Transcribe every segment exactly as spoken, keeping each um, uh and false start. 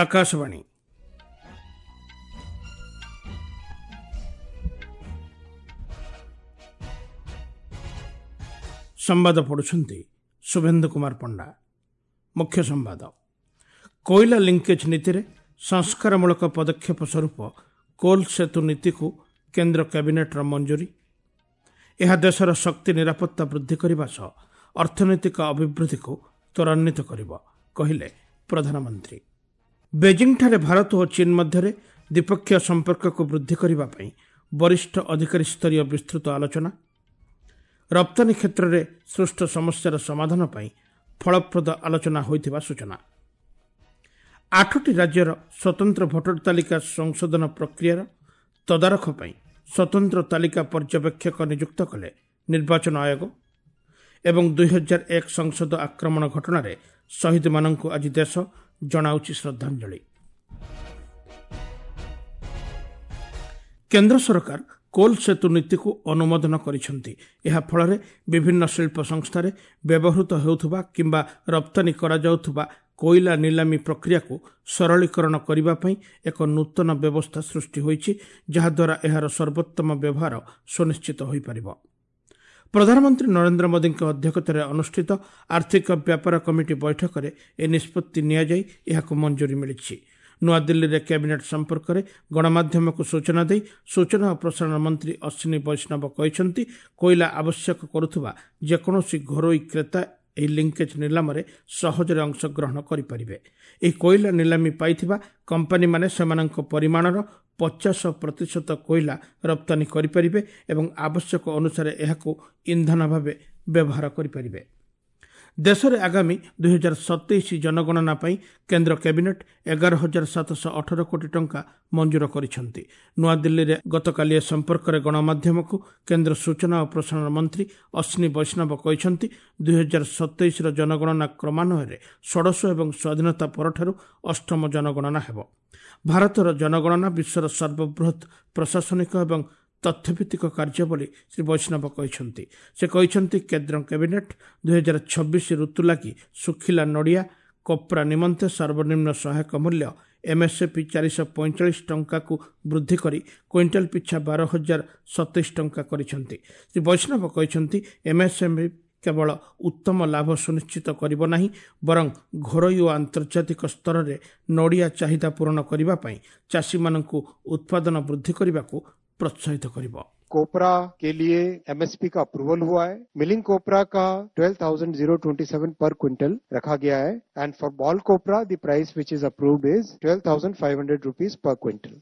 ଆକାଶବାଣୀ। ସମ୍ବାଦ ପଢ଼ୁଛନ୍ତି ଶୁଭେନ୍ଦୁ କୁମାର ପଣ୍ଡା। ମୁଖ୍ୟ ସମ୍ବାଦ। କୋଇଲା ଲିଙ୍କେଜ୍ ନୀତିରେ ସଂସ୍କାରମୂଳକ ପଦକ୍ଷେପ ସ୍ୱରୂପ କୋଲ୍ ସେତୁ ନୀତିକୁ କେନ୍ଦ୍ର କ୍ୟାବିନେଟ୍ର ମଞ୍ଜୁରୀ। ଏହା ଦେଶର ଶକ୍ତି ନିରାପତ୍ତା ବୃଦ୍ଧି କରିବା ସହ ଅର୍ଥନୈତିକ ଅଭିବୃଦ୍ଧିକୁ ତ୍ୱରାନ୍ୱିତ କରିବ, କହିଲେ ପ୍ରଧାନମନ୍ତ୍ରୀ। ବେଜିଂଠାରେ ଭାରତ ଓ ଚୀନ୍ ମଧ୍ୟରେ ଦ୍ୱିପକ୍ଷୀୟ ସମ୍ପର୍କକୁ ବୃଦ୍ଧି କରିବା ପାଇଁ ବରିଷ୍ଠ ଅଧିକାରୀ ସ୍ତରୀୟ ବିସ୍ତୃତ ଆଲୋଚନା। ରପ୍ତାନୀ କ୍ଷେତ୍ରରେ ସୃଷ୍ଟ ସମସ୍ୟାର ସମାଧାନ ପାଇଁ ଫଳପ୍ରଦ ଆଲୋଚନା ହୋଇଥିବା ସୂଚନା। ଆଠଟି ରାଜ୍ୟର ସ୍ୱତନ୍ତ୍ର ଭୋଟର ତାଲିକା ସଂଶୋଧନ ପ୍ରକ୍ରିୟାର ତଦାରଖ ପାଇଁ ସ୍ୱତନ୍ତ୍ର ତାଲିକା ପର୍ଯ୍ୟବେକ୍ଷକ ନିଯୁକ୍ତ କଲେ ନିର୍ବାଚନ ଆୟୋଗ। ଏବଂ ଦୁଇହଜାର ଏକ ସଂସଦ ଆକ୍ରମଣ ଘଟଣାରେ ଶହୀଦମାନଙ୍କୁ ଆଜି ଦେଶ ଜଣାଉଛି ଶ୍ରଦ୍ଧାଞ୍ଜଳି। କେନ୍ଦ୍ର ସରକାର କୋଲ୍ ସେତୁ ନୀତିକୁ ଅନୁମୋଦନ କରିଛନ୍ତି। ଏହା ଫଳରେ ବିଭିନ୍ନ ଶିଳ୍ପ ସଂସ୍ଥାରେ ବ୍ୟବହୃତ ହେଉଥିବା କିମ୍ବା ରପ୍ତାନୀ କରାଯାଉଥିବା କୋଇଲା ନିଲାମୀ ପ୍ରକ୍ରିୟାକୁ ସରଳୀକରଣ କରିବା ପାଇଁ ଏକ ନୂତନ ବ୍ୟବସ୍ଥା ସୃଷ୍ଟି ହୋଇଛି, ଯାହାଦ୍ୱାରା ଏହାର ସର୍ବୋତ୍ତମ ବ୍ୟବହାର ସୁନିଶ୍ଚିତ ହୋଇପାରିବ। ପ୍ରଧାନମନ୍ତ୍ରୀ ନରେନ୍ଦ୍ର ମୋଦିଙ୍କ ଅଧ୍ୟକ୍ଷତାରେ ଅନୁଷ୍ଠିତ ଆର୍ଥିକ ବ୍ୟାପାର କମିଟି ବୈଠକରେ ଏ ନିଷ୍ପତ୍ତି ନିଆଯାଇ ଏହାକୁ ମଞ୍ଜୁରୀ ମିଳିଛି। ନୂଆଦିଲ୍ଲୀରେ କ୍ୟାବିନେଟ୍ ସମ୍ପର୍କରେ ଗଣମାଧ୍ୟମକୁ ସୂଚନା ଦେଇ ସୂଚନା ଓ ପ୍ରସାରଣ ମନ୍ତ୍ରୀ ଅଶ୍ୱିନୀ ବୈଷ୍ଣବ କହିଛନ୍ତି, କୋଇଲା ଆବଶ୍ୟକ କରୁଥିବା ଯେକୌଣସି ଘରୋଇ କ୍ରେତା ଏହି ଲିଙ୍କେଜ୍ ନିଲାମରେ ସହଜରେ ଅଂଶଗ୍ରହଣ କରିପାରିବେ। ଏହି କୋଇଲା ନିଲାମୀ ପାଇଥିବା କମ୍ପାନୀମାନେ ସେମାନଙ୍କ ପରିମାଣର ପଚାଶ ପ୍ରତିଶତ କୋଇଲା ରପ୍ତାନୀ କରିପାରିବେ ଏବଂ ଆବଶ୍ୟକ ଅନୁସାରେ ଏହାକୁ ଇନ୍ଧନ ଭାବେ ବ୍ୟବହାର କରିପାରିବେ। ଦେଶରେ ଆଗାମୀ ଦୁଇହଜାର ସତେଇଶ ଜନଗଣନା ପାଇଁ କେନ୍ଦ୍ର କ୍ୟାବିନେଟ୍ ଏଗାର ହଜାର ସାତଶହ ଅଠର କୋଟି ଟଙ୍କା ମଞ୍ଜୁର କରିଛନ୍ତି। ନୂଆଦିଲ୍ଲୀରେ ଗତକାଲି ଏ ସମ୍ପର୍କରେ ଗଣମାଧ୍ୟମକୁ କେନ୍ଦ୍ର ସୂଚନା ଓ ପ୍ରସାରଣ ମନ୍ତ୍ରୀ ଅଶ୍ୱିନୀ ବୈଷ୍ଣବ କହିଛନ୍ତି, ଦୁଇହଜାର ସତେଇଶର ଜନଗଣନା କ୍ରମାନ୍ୱୟରେ ଷୋଡ଼ଶ ଏବଂ ସ୍ୱାଧୀନତା ପରଠାରୁ ଅଷ୍ଟମ ଜନଗଣନା ହେବ। ଭାରତର ଜନଗଣନା ବିଶ୍ୱର ସର୍ବବୃହତ୍ ପ୍ରଶାସନିକ ଏବଂ ତଥ୍ୟଭିତ୍ତିକ କାର୍ଯ୍ୟ ବୋଲି ଶ୍ରୀ ବୈଷ୍ଣବ କହିଛନ୍ତି। ସେ କହିଛନ୍ତି, କେନ୍ଦ୍ର କ୍ୟାବିନେଟ୍ ଦୁଇହଜାର ଛବିଶ ଋତୁ ଲାଗି ଶୁଖିଲା ନଡ଼ିଆ କପ୍ରା ନିମନ୍ତେ ସର୍ବନିମ୍ନ ସହାୟକ ମୂଲ୍ୟ ଏମ୍ଏସ୍ଏପି ଚାରିଶହ ପଇଁଚାଳିଶ ଟଙ୍କାକୁ ବୃଦ୍ଧି କରି କ୍ୱିଣ୍ଟାଲ ପିଛା ବାର ହଜାର ସତେଇଶ ଟଙ୍କା କରିଛନ୍ତି। ଶ୍ରୀ ବୈଷ୍ଣବ କହିଛନ୍ତି, ଏମ୍ଏସ୍ଏମ୍ଇ କେବଳ ଉତ୍ତମ ଲାଭ ସୁନିଶ୍ଚିତ କରିବ ନାହିଁ, ବରଂ ଘରୋଇ ଓ ଆନ୍ତର୍ଜାତିକ ସ୍ତରରେ ନଡ଼ିଆ ଚାହିଦା ପୂରଣ କରିବା ପାଇଁ ଚାଷୀମାନଙ୍କୁ ଉତ୍ପାଦନ ବୃଦ୍ଧି କରିବାକୁ ପ୍ରୋତ୍ସାହିତ କରିବ। कोपरा के लिए एमएसपी का अप्रूवल हुआ है। मिलिंग कोपरा का twelve thousand zero twenty seven per quintal रखा गया है and for ball copra the price which is approved is twelve thousand five hundred rupees per quintal.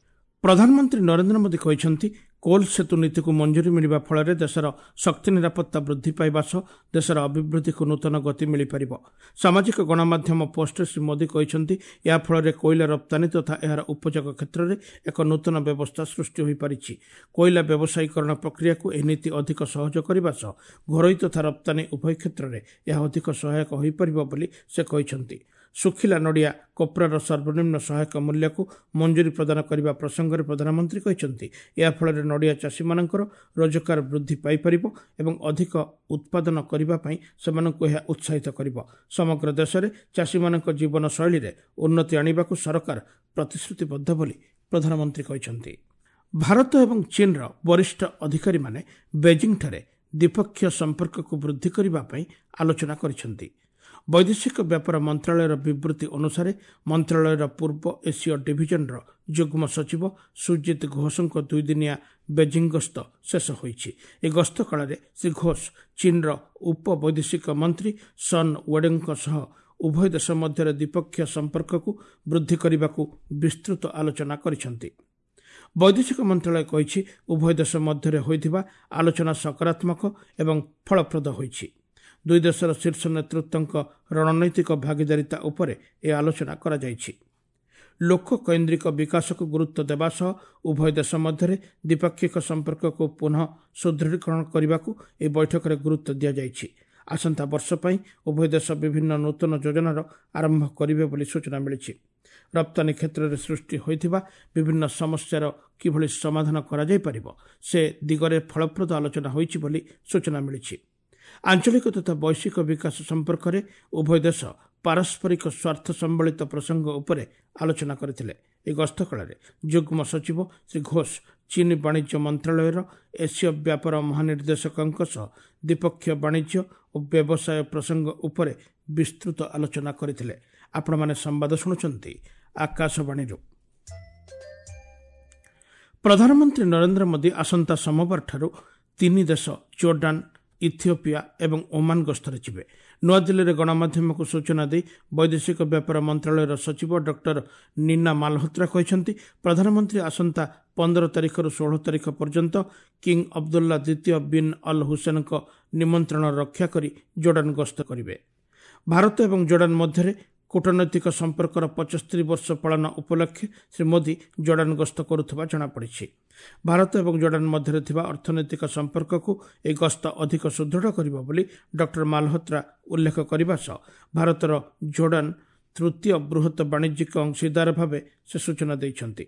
ପ୍ରଧାନମନ୍ତ୍ରୀ ନରେନ୍ଦ୍ର ମୋଦି କହିଛନ୍ତି, କୋଲ୍ ସେତୁ ନୀତିକୁ ମଞ୍ଜୁରୀ ମିଳିବା ଫଳରେ ଦେଶର ଶକ୍ତି ନିରାପତ୍ତା ବୃଦ୍ଧି ପାଇବା ସହ ଦେଶର ଅଭିବୃଦ୍ଧିକୁ ନୂତନ ଗତି ମିଳିପାରିବ। ସାମାଜିକ ଗଣମାଧ୍ୟମ ପୋଷ୍ଟରେ ଶ୍ରୀ ମୋଦି କହିଛନ୍ତି, ଏହା ଫଳରେ କୋଇଲା ରପ୍ତାନୀ ତଥା ଏହାର ଉପଯୋଗ କ୍ଷେତ୍ରରେ ଏକ ନୂତନ ବ୍ୟବସ୍ଥା ସୃଷ୍ଟି ହୋଇପାରିଛି। କୋଇଲା ବ୍ୟବସାୟୀକରଣ ପ୍ରକ୍ରିୟାକୁ ଏହି ନୀତି ଅଧିକ ସହଜ କରିବା ସହ ଘରୋଇ ତଥା ରପ୍ତାନୀ ଉଭୟ କ୍ଷେତ୍ରରେ ଏହା ଅଧିକ ସହାୟକ ହୋଇପାରିବ ବୋଲି ସେ କହିଛନ୍ତି। ଶୁଖିଲା ନଡ଼ିଆ କୋପ୍ରାର ସର୍ବନିମ୍ନ ସହାୟକ ମୂଲ୍ୟକୁ ମଞ୍ଜୁରୀ ପ୍ରଦାନ କରିବା ପ୍ରସଙ୍ଗରେ ପ୍ରଧାନମନ୍ତ୍ରୀ କହିଛନ୍ତି, ଏହା ଫଳରେ ନଡ଼ିଆ ଚାଷୀମାନଙ୍କର ରୋଜଗାର ବୃଦ୍ଧି ପାଇପାରିବ ଏବଂ ଅଧିକ ଉତ୍ପାଦନ କରିବା ପାଇଁ ସେମାନଙ୍କୁ ଏହା ଉତ୍ସାହିତ କରିବ। ସମଗ୍ର ଦେଶରେ ଚାଷୀମାନଙ୍କ ଜୀବନଶୈଳୀରେ ଉନ୍ନତି ଆଣିବାକୁ ସରକାର ପ୍ରତିଶ୍ରୁତିବଦ୍ଧ ବୋଲି ପ୍ରଧାନମନ୍ତ୍ରୀ କହିଛନ୍ତି। ଭାରତ ଏବଂ ଚୀନ୍ର ବରିଷ୍ଠ ଅଧିକାରୀମାନେ ବେଜିଂଠାରେ ଦ୍ୱିପକ୍ଷୀୟ ସମ୍ପର୍କକୁ ବୃଦ୍ଧି କରିବା ପାଇଁ ଆଲୋଚନା କରିଛନ୍ତି। ବୈଦେଶିକ ବ୍ୟାପାର ମନ୍ତ୍ରାଳୟର ବିବୃତ୍ତି ଅନୁସାରେ ମନ୍ତ୍ରାଳୟର ପୂର୍ବ ଏସୀୟ ଡିଭିଜନର ଯୁଗ୍ମ ସଚିବ ସୁଜିତ ଘୋଷଙ୍କ ଦୁଇଦିନିଆ ବେଜିଂ ଗସ୍ତ ଶେଷ ହୋଇଛି। ଏହି ଗସ୍ତ କାଳରେ ଶ୍ରୀ ଘୋଷ ଚୀନ୍ର ଉପ ବୈଦେଶିକ ମନ୍ତ୍ରୀ ସନ୍ ୱେଡେଙ୍କ ସହ ଉଭୟ ଦେଶ ମଧ୍ୟରେ ଦ୍ୱିପକ୍ଷୀୟ ସମ୍ପର୍କକୁ ବୃଦ୍ଧି କରିବାକୁ ବିସ୍ତୃତ ଆଲୋଚନା କରିଛନ୍ତି। ବୈଦେଶିକ ମନ୍ତ୍ରାଳୟ କହିଛି, ଉଭୟ ଦେଶ ମଧ୍ୟରେ ହୋଇଥିବା ଆଲୋଚନା ସକାରାତ୍ମକ ଏବଂ ଫଳପ୍ରଦ ହୋଇଛି। ଦୁଇ ଦେଶର ଶୀର୍ଷ ନେତୃତ୍ୱଙ୍କ ରଣନୈତିକ ଭାଗିଦାରିତା ଉପରେ ଏ ଆଲୋଚନା କରାଯାଇଛି। ଲୋକକୈନ୍ଦ୍ରିକ ବିକାଶକୁ ଗୁରୁତ୍ୱ ଦେବା ସହ ଉଭୟ ଦେଶ ମଧ୍ୟରେ ଦ୍ୱିପାକ୍ଷିକ ସମ୍ପର୍କକୁ ପୁନଃ ସୁଦୃଢ଼ୀକରଣ କରିବାକୁ ଏହି ବୈଠକରେ ଗୁରୁତ୍ୱ ଦିଆଯାଇଛି। ଆସନ୍ତା ବର୍ଷ ପାଇଁ ଉଭୟ ଦେଶ ବିଭିନ୍ନ ନୂତନ ଯୋଜନାର ଆରମ୍ଭ କରିବେ ବୋଲି ସୂଚନା ମିଳିଛି। ରପ୍ତାନୀ କ୍ଷେତ୍ରରେ ସୃଷ୍ଟି ହୋଇଥିବା ବିଭିନ୍ନ ସମସ୍ୟାର କିଭଳି ସମାଧାନ କରାଯାଇପାରିବ ସେ ଦିଗରେ ଫଳପ୍ରଦ ଆଲୋଚନା ହୋଇଛି ବୋଲି ସୂଚନା ମିଳିଛି। ଆଞ୍ଚଳିକ ତଥା ବୈଶ୍ୱିକ ବିକାଶ ସମ୍ପର୍କରେ ଉଭୟ ଦେଶ ପାରସ୍ପରିକ ସ୍ୱାର୍ଥ ସମ୍ବଳିତ ପ୍ରସଙ୍ଗ ଉପରେ ଆଲୋଚନା କରିଥିଲେ। ଏହି ଗସ୍ତ କାଳରେ ଯୁଗ୍ମ ସଚିବ ଶ୍ରୀ ଘୋଷ ଚୀନ ବାଣିଜ୍ୟ ମନ୍ତ୍ରଣାଳୟର ଏସୀୟ ବ୍ୟାପାର ମହାନିର୍ଦ୍ଦେଶକଙ୍କ ସହ ଦ୍ୱିପକ୍ଷୀୟ ବାଣିଜ୍ୟ ଓ ବ୍ୟବସାୟ ପ୍ରସଙ୍ଗ ଉପରେ ବିସ୍ତୃତ ଆଲୋଚନା କରିଥିଲେ। ଆପଣମାନେ ସମ୍ବାଦ ଶୁଣୁଛନ୍ତି ଆକାଶବାଣୀରୁ। ପ୍ରଧାନମନ୍ତ୍ରୀ ନରେନ୍ଦ୍ର ମୋଦି ଆସନ୍ତା ସୋମବାରଠାରୁ ତିନି ଦେଶ ଜୋର୍ଡାନ, ଇଥିଓପିଆ ଏବଂ ଓମାନ ଗସ୍ତରେ ଯିବେ। ନୂଆଦିଲ୍ଲୀରେ ଗଣମାଧ୍ୟମକୁ ସୂଚନା ଦେଇ ବୈଦେଶିକ ବ୍ୟାପାର ମନ୍ତ୍ରଣାଳୟର ସଚିବ ଡକ୍ଟର ନୀନା ମାଲହୋତ୍ରା କହିଛନ୍ତି, ପ୍ରଧାନମନ୍ତ୍ରୀ ଆସନ୍ତା ପନ୍ଦର ତାରିଖରୁ ଷୋହଳ ତାରିଖ ପର୍ଯ୍ୟନ୍ତ କିଙ୍ଗ ଅବଦୁଲ୍ଲା ଦ୍ୱିତୀୟ ବିନ୍ ଅଲ୍ ହୁସେନଙ୍କ ନିମନ୍ତ୍ରଣ ରକ୍ଷା କରି ଜୋର୍ଡାନ ଗସ୍ତ କରିବେ। ଭାରତ ଏବଂ ଜୋର୍ଡାନ ମଧ୍ୟରେ କୂଟନୈତିକ ସମ୍ପର୍କର ପଞ୍ଚସ୍ତରୀ ବର୍ଷ ପାଳନ ଉପଲକ୍ଷେ ଶ୍ରୀ ମୋଦି ଜୋର୍ଡାନ ଗସ୍ତ କରୁଥିବା ଜଣାପଡ଼ିଛି। ଭାରତ ଏବଂ ଜୋର୍ଡାନ ମଧ୍ୟରେ ଥିବା ଅର୍ଥନୈତିକ ସମ୍ପର୍କକୁ ଏହି ଗସ୍ତ ଅଧିକ ସୁଦୃଢ଼ କରିବ ବୋଲି ଡକ୍ଟର ମାଲହୋତ୍ରା ଉଲ୍ଲେଖ କରିବା ସହ ଭାରତର ଜୋର୍ଡାନ ତୃତୀୟ ବୃହତ ବାଣିଜ୍ୟିକ ଅଂଶୀଦାର ଭାବେ ସେ ସୂଚନା ଦେଇଛନ୍ତି।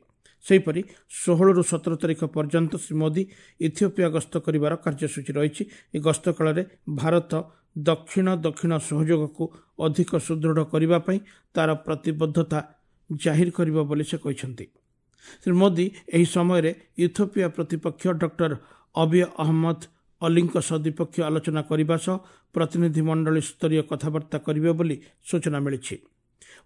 ସେହିପରି ଷୋହଳରୁ ସତର ତାରିଖ ପର୍ଯ୍ୟନ୍ତ ଶ୍ରୀ ମୋଦି ଇଥିଓପିଆ ଗସ୍ତ କରିବାର କାର୍ଯ୍ୟସୂଚୀ ରହିଛି। ଏହି ଗସ୍ତ କାଳରେ ଭାରତ ଦକ୍ଷିଣ ଦକ୍ଷିଣ ସହଯୋଗକୁ ଅଧିକ ସୁଦୃଢ଼ କରିବା ପାଇଁ ତାର ପ୍ରତିବଦ୍ଧତା ଜାହିର କରିବ ବୋଲି ସେ କହିଛନ୍ତି। ଶ୍ରୀ ମୋଦି ଏହି ସମୟରେ ଇଥିଓପିଆ ପ୍ରତିପକ୍ଷ ଡକ୍ଟର ଅବିୟ ଅହମ୍ମଦ ଅଲିଙ୍କ ସହ ଦ୍ୱିପକ୍ଷୀୟ ଆଲୋଚନା କରିବା ସହ ପ୍ରତିନିଧିମଣ୍ଡଳୀ ସ୍ତରୀୟ କଥାବାର୍ତ୍ତା କରିବେ ବୋଲି ସୂଚନା ମିଳିଛି।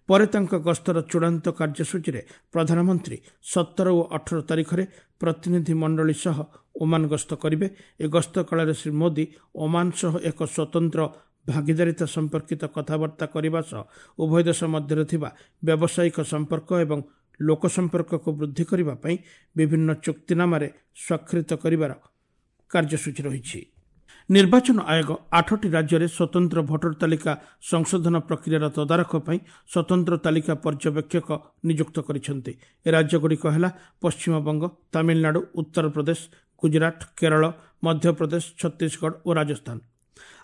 ପରେ ତାଙ୍କ ଗସ୍ତର ଚୂଡ଼ାନ୍ତ କାର୍ଯ୍ୟସୂଚୀରେ ପ୍ରଧାନମନ୍ତ୍ରୀ ସତର ଓ ଅଠର ତାରିଖରେ ପ୍ରତିନିଧିମଣ୍ଡଳୀ ସହ ଓମାନ ଗସ୍ତ କରିବେ। ଏ ଗସ୍ତ କାଳରେ ଶ୍ରୀ ମୋଦି ଓମାନ ସହ ଏକ ସ୍ୱତନ୍ତ୍ର ଭାଗିଦାରିତା ସମ୍ପର୍କିତ କଥାବାର୍ତ୍ତା କରିବା ସହ ଉଭୟ ଦେଶ ମଧ୍ୟରେ ଥିବା ବ୍ୟବସାୟିକ ସମ୍ପର୍କ ଏବଂ ଲୋକ ସମ୍ପର୍କକୁ ବୃଦ୍ଧି କରିବା ପାଇଁ ବିଭିନ୍ନ ଚୁକ୍ତିନାମାରେ ସ୍ୱାକ୍ଷରିତ କରିବାର କାର୍ଯ୍ୟସୂଚୀ ରହିଛି। ନିର୍ବାଚନ ଆୟୋଗ ଆଠଟି ରାଜ୍ୟରେ ସ୍ୱତନ୍ତ୍ର ଭୋଟର ତାଲିକା ସଂଶୋଧନ ପ୍ରକ୍ରିୟାର ତଦାରଖ ପାଇଁ ସ୍ୱତନ୍ତ୍ର ତାଲିକା ପର୍ଯ୍ୟବେକ୍ଷକ ନିଯୁକ୍ତ କରିଛନ୍ତି। ଏ ରାଜ୍ୟଗୁଡ଼ିକ ହେଲା ପଶ୍ଚିମବଙ୍ଗ, ତାମିଲନାଡୁ, ଉତ୍ତରପ୍ରଦେଶ, ଗୁଜରାଟ, କେରଳ, ମଧ୍ୟପ୍ରଦେଶ, ଛତିଶଗଡ଼ ଓ ରାଜସ୍ଥାନ।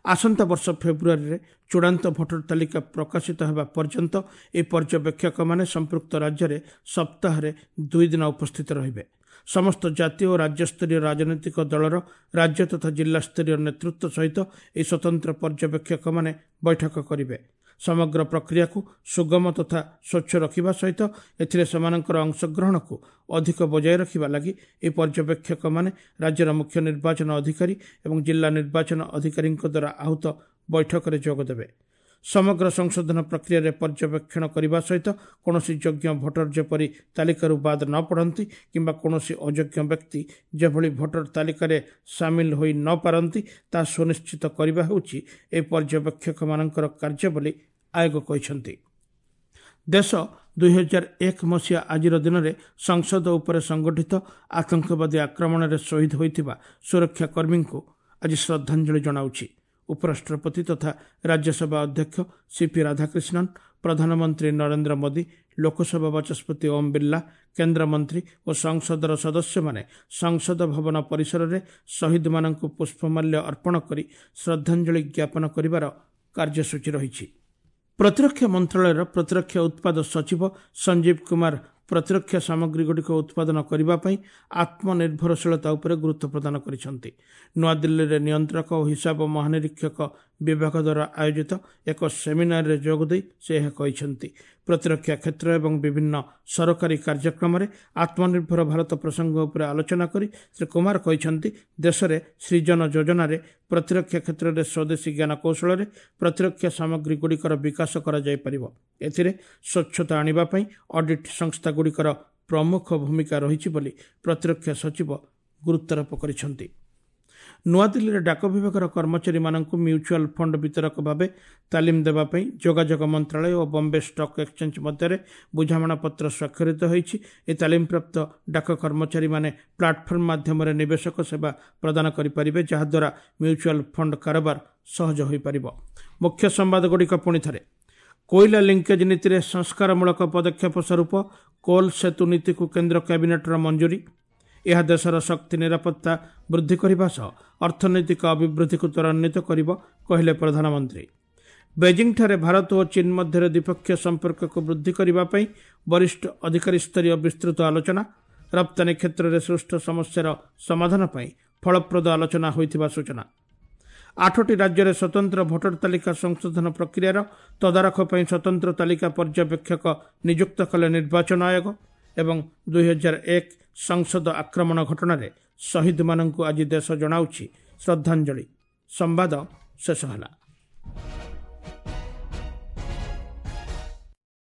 ଆସନ୍ତା ବର୍ଷ ଫେବୃଆରୀରେ ଚୂଡ଼ାନ୍ତ ଭୋଟର ତାଲିକା ପ୍ରକାଶିତ ହେବା ପର୍ଯ୍ୟନ୍ତ ଏହି ପର୍ଯ୍ୟବେକ୍ଷକମାନେ ସମ୍ପୃକ୍ତ ରାଜ୍ୟରେ ସପ୍ତାହରେ ଦୁଇ ଦିନ ଉପସ୍ଥିତ ରହିବେ। ସମସ୍ତ ଜାତୀୟ ଓ ରାଜ୍ୟସ୍ତରୀୟ ରାଜନୈତିକ ଦଳର ରାଜ୍ୟ ତଥା ଜିଲ୍ଲାସ୍ତରୀୟ ନେତୃତ୍ୱ ସହିତ ଏହି ସ୍ୱତନ୍ତ୍ର ପର୍ଯ୍ୟବେକ୍ଷକମାନେ ବୈଠକ କରିବେ। ସମଗ୍ର ପ୍ରକ୍ରିୟାକୁ ସୁଗମ ତଥା ସ୍ୱଚ୍ଛ ରଖିବା ସହିତ ଏଥିରେ ସେମାନଙ୍କର ଅଂଶଗ୍ରହଣକୁ ଅଧିକ ବଜାୟ ରଖିବା ଲାଗି ଏହି ପର୍ଯ୍ୟବେକ୍ଷକମାନେ ରାଜ୍ୟର ମୁଖ୍ୟ ନିର୍ବାଚନ ଅଧିକାରୀ ଏବଂ ଜିଲ୍ଲା ନିର୍ବାଚନ ଅଧିକାରୀଙ୍କ ଦ୍ୱାରା ଆହୁତ ବୈଠକରେ ଯୋଗଦେବେ। ସମଗ୍ର ସଂଶୋଧନ ପ୍ରକ୍ରିୟାରେ ପର୍ଯ୍ୟବେକ୍ଷଣ କରିବା ସହିତ କୌଣସି ଯୋଗ୍ୟ ଭୋଟର ଯେପରି ତାଲିକାରୁ ବାଦ ନ ପଡ଼ନ୍ତି କିମ୍ବା କୌଣସି ଅଯୋଗ୍ୟ ବ୍ୟକ୍ତି ଯେଭଳି ଭୋଟର ତାଲିକାରେ ସାମିଲ ହୋଇ ନ ପାରନ୍ତି ତାହା ସୁନିଶ୍ଚିତ କରିବା ହେଉଛି ଏହି ପର୍ଯ୍ୟବେକ୍ଷକମାନଙ୍କର କାର୍ଯ୍ୟ ବୋଲି ଆୟୋଗ କହିଛନ୍ତି। ଦେଶ ଦୁଇହଜାର ଏକ ମସିହା ଆଜିର ଦିନରେ ସଂସଦ ଉପରେ ସଂଗଠିତ ଆତଙ୍କବାଦୀ ଆକ୍ରମଣରେ ଶହୀଦ ହୋଇଥିବା ସୁରକ୍ଷାକର୍ମୀଙ୍କୁ ଆଜି ଶ୍ରଦ୍ଧାଞ୍ଜଳି ଜଣାଉଛି। ଉପରାଷ୍ଟ୍ରପତି ତଥା ରାଜ୍ୟସଭା ଅଧ୍ୟକ୍ଷ ସିପି ରାଧାକ୍ରିଷ୍ଣନ, ପ୍ରଧାନମନ୍ତ୍ରୀ ନରେନ୍ଦ୍ର ମୋଦି, ଲୋକସଭା ବାଚସ୍ପତି ଓମ୍ ବିର୍ଲା, କେନ୍ଦ୍ରମନ୍ତ୍ରୀ ଓ ସଂସଦର ସଦସ୍ୟମାନେ ସଂସଦ ଭବନ ପରିସରରେ ଶହୀଦମାନଙ୍କୁ ପୁଷ୍ପମାଲ୍ୟ ଅର୍ପଣ କରି ଶ୍ରଦ୍ଧାଞ୍ଜଳି ଜ୍ଞାପନ କରିବାର କାର୍ଯ୍ୟସୂଚୀ ରହିଛି। ପ୍ରତିରକ୍ଷା ମନ୍ତ୍ରଣାଳୟର ପ୍ରତିରକ୍ଷା ଉତ୍ପାଦ ସଚିବ ସଞ୍ଜୀବ କୁମାର ପ୍ରତିରକ୍ଷା ସାମଗ୍ରୀଗୁଡ଼ିକ ଉତ୍ପାଦନ କରିବା ପାଇଁ ଆତ୍ମନିର୍ଭରଶୀଳତା ଉପରେ ଗୁରୁତ୍ୱ ପ୍ରଦାନ କରିଛନ୍ତି। ନୂଆଦିଲ୍ଲୀରେ ନିୟନ୍ତ୍ରକ ଓ ହିସାବ ମହାନିରୀକ୍ଷକ ବିଭାଗ ଦ୍ୱାରା ଆୟୋଜିତ ଏକ ସେମିନାରରେ ଯୋଗଦେଇ ସେ ଏହା କହିଛନ୍ତି। ପ୍ରତିରକ୍ଷା କ୍ଷେତ୍ର ଏବଂ ବିଭିନ୍ନ ସରକାରୀ କାର୍ଯ୍ୟକ୍ରମରେ ଆତ୍ମନିର୍ଭର ଭାରତ ପ୍ରସଙ୍ଗ ଉପରେ ଆଲୋଚନା କରି ଶ୍ରୀ କୁମାର କହିଛନ୍ତି, ଦେଶରେ ସୃଜନ ଯୋଜନାରେ ପ୍ରତିରକ୍ଷା କ୍ଷେତ୍ରରେ ସ୍ୱଦେଶୀ ଜ୍ଞାନକୌଶଳରେ ପ୍ରତିରକ୍ଷା ସାମଗ୍ରୀଗୁଡ଼ିକର ବିକାଶ କରାଯାଇପାରିବ। ଏଥିରେ ସ୍ୱଚ୍ଛତା ଆଣିବା ପାଇଁ ଅଡିଟ୍ ସଂସ୍ଥାଗୁଡ଼ିକର ପ୍ରମୁଖ ଭୂମିକା ରହିଛି ବୋଲି ପ୍ରତିରକ୍ଷା ସଚିବ ଗୁରୁତ୍ୱାରୋପ କରିଛନ୍ତି। ନୂଆଦିଲ୍ଲୀରେ ଡାକ ବିଭାଗର କର୍ମଚାରୀମାନଙ୍କୁ ମ୍ୟୁଚୁଆଲ ଫଣ୍ଡ ବିତରକ ଭାବେ ତାଲିମ ଦେବା ପାଇଁ ଯୋଗାଯୋଗ ମନ୍ତ୍ରାଳୟ ଓ ବମ୍ବେ ଷ୍ଟକ୍ ଏକ୍ସଚେଞ୍ଜ ମଧ୍ୟରେ ବୁଝାମଣାପତ୍ର ସ୍ୱାକ୍ଷରିତ ହୋଇଛି। ଏହି ତାଲିମପ୍ରାପ୍ତ ଡାକ କର୍ମଚାରୀମାନେ ପ୍ଲାଟଫର୍ମ ମାଧ୍ୟମରେ ନିବେଶକ ସେବା ପ୍ରଦାନ କରିପାରିବେ, ଯାହାଦ୍ୱାରା ମ୍ୟୁଚୁଆଲ ଫଣ୍ଡ କାରବାର ସହଜ ହୋଇପାରିବ। ମୁଖ୍ୟ ସମ୍ବାଦଗୁଡ଼ିକ ପୁଣି ଥରେ। କୋଇଲା ଲିଙ୍କେଜ୍ ନୀତିରେ ସଂସ୍କାରମୂଳକ ପଦକ୍ଷେପ ସ୍ୱରୂପ କୋଲ୍ ସେତୁ ନୀତିକୁ କେନ୍ଦ୍ର କ୍ୟାବିନେଟ୍ର ମଞ୍ଜୁରୀ। ଏହା ଦେଶର ଶକ୍ତି ନିରାପତ୍ତା ବୃଦ୍ଧି କରିବା ସହ ଅର୍ଥନୈତିକ ଅଭିବୃଦ୍ଧିକୁ ତ୍ୱରାନ୍ୱିତ କରିବ, କହିଲେ ପ୍ରଧାନମନ୍ତ୍ରୀ। ବେଜିଂଠାରେ ଭାରତ ଓ ଚୀନ ମଧ୍ୟରେ ଦ୍ୱିପକ୍ଷୀୟ ସମ୍ପର୍କକୁ ବୃଦ୍ଧି କରିବା ପାଇଁ ବରିଷ୍ଠ ଅଧିକାରୀସ୍ତରୀୟ ବିସ୍ତୃତ ଆଲୋଚନା। ରପ୍ତାନୀ କ୍ଷେତ୍ରରେ ସୃଷ୍ଟ ସମସ୍ୟାର ସମାଧାନ ପାଇଁ ଫଳପ୍ରଦ ଆଲୋଚନା ହୋଇଥିବା ସୂଚନା। ଆଠଟି ରାଜ୍ୟରେ ସ୍ୱତନ୍ତ୍ର ଭୋଟର ତାଲିକା ସଂଶୋଧନ ପ୍ରକ୍ରିୟାର ତଦାରଖ ପାଇଁ ସ୍ୱତନ୍ତ୍ର ତାଲିକା ପର୍ଯ୍ୟବେକ୍ଷକ ନିଯୁକ୍ତ କଲେ ନିର୍ବାଚନ ଆୟୋଗ ଏବଂ ଦୁଇହଜାର ଏକ ସଂସଦ ଆକ୍ରମଣ ଘଟଣାରେ ଶହୀଦମାନଙ୍କୁ ଆଜି ଦେଶ ଜଣାଉଛି ଶ୍ରଦ୍ଧାଞ୍ଜଳି। ସମ୍ବାଦ ଶେଷ ହେଲା।